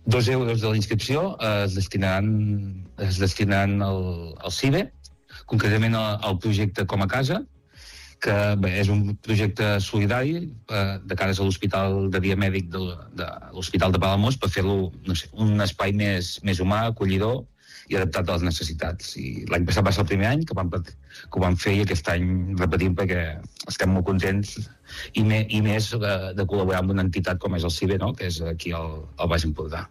€2 de la inscripció es destinaran al CIBE, concretament al projecte Com a Casa, que bé, és un projecte solidari de cares a l'Hospital de Dia Mèdic de l'Hospital de Palamós, per fer-lo, no sé, un espai més humà, acollidor i adaptat a les necessitats. I l'any passat va ser el primer any que ho vam fer, i aquest any repetim perquè estem molt contents i més de col·laborar amb una entitat com és el CIBE, no? Que és aquí al Baix Empordà.